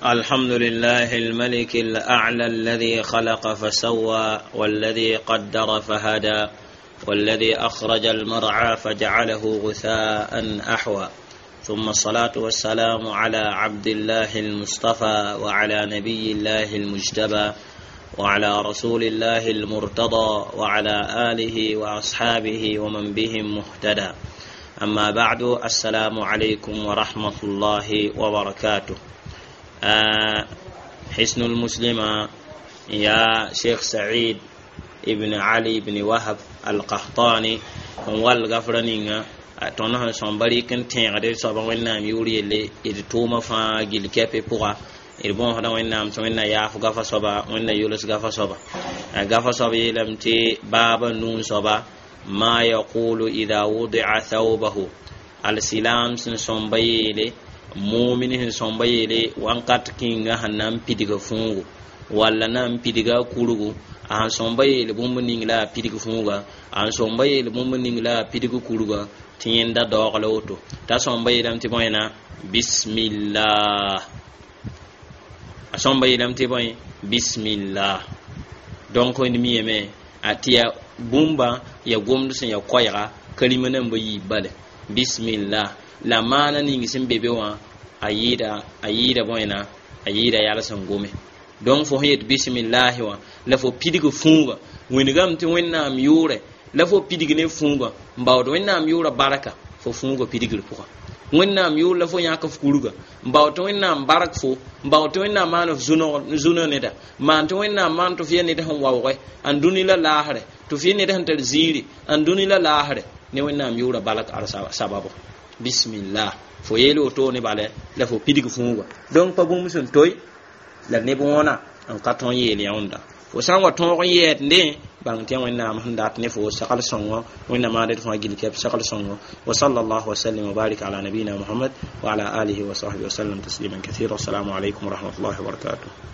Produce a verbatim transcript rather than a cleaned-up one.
الحمد لله الملك الأعلى الذي خلق فسوى والذي قدر فهدى والذي أخرج المرعى فجعله غثاء أحوى ثم الصلاة والسلام على عبد الله المصطفى وعلى نبي الله المجتبى وعلى رسول الله المرتضى وعلى آله وأصحابه ومن بهم مهتدى أما بعد السلام عليكم ورحمة الله وبركاته آه حسن المسلمة يا شيخ سعيد ابن علي بن وهب القحطاني والغفرنينغا tõnd sẽn sõm barɩk n tẽegd d soabã Wẽnnaam yʋʋr yelle d tʋʋmã fãa gill kɛpɩ pʋga. D bõosda Wẽnnaam tɩ Wẽnna yaaf gafa soaba, Wẽnna yols gafa soaba. Gafa soab yeelame tɩ baaba nuu soaba ma yaqulu ida wudia thawbahu alsilam sẽn sõmba yeele mumin sẽn sõmba yeele wãnkat kĩnga sẽn na n pidga fũugo walla na n pidga a kurgu, a sẽn sõmba yeel bũmb ning la a pidg fũuga, a sẽn sõmba yeel bũmb ning la a pidg kurga tɩ yẽnda daoog la woto t'a sõmba yeelame tɩ bõe na bismillah, a sõmba yeelame tɩ bõe bismillah. Donc d miyame a tɩ ya bũmba ya gomd sẽn ya koɛɛga kalima namba yiib bale bismillah la maana ning sẽn be be wã a yɩɩda a yɩɩda bõe na a yɩɩda yals n gome. Donc fo sẽn yet bismillahi wã la fo pidg fũuga wĩnigame tɩ Wẽnnaam yʋʋrɛ la fo pidg ne fũuga n baood Wẽnnaam yʋʋra barka fo fũuga pidgr pʋga, Wẽnnaam yʋʋr la fo yãk f kurga n bao tɩ Wẽnnaam bark fo, n bao tɩ Wẽnnaam maan f zunã neda, maan tɩ Wẽnnaam maan tɩ f ya ned sẽn waoogɛ ãn dũni la laasrɛ, tɩ f ya ned sẽn tar ziiri ãn dũni la laasrɛ ne Wẽnnaam yʋʋra balk ad sababo bismillah. Fo yeel woto ne bala la fo pidg fũuga. Donc pa bũmb sẽn toy la neb wõna n ka tõn yeel yãunda fo sã n wa tõog n yɛɛdndẽ bãng tɩ Wẽnnaam sẽn dat ne fo sagl sõngo. Wẽnnaam maana d fãa gill kɛp sagl sõngo. Wa sallallahu wa sallim wa barik ala nabiyina Muhammad wa ala alihi wa sahbihi wa sallam tasliman kathira. Assalamu alaikum wa rahmatullahi wa barakatuh.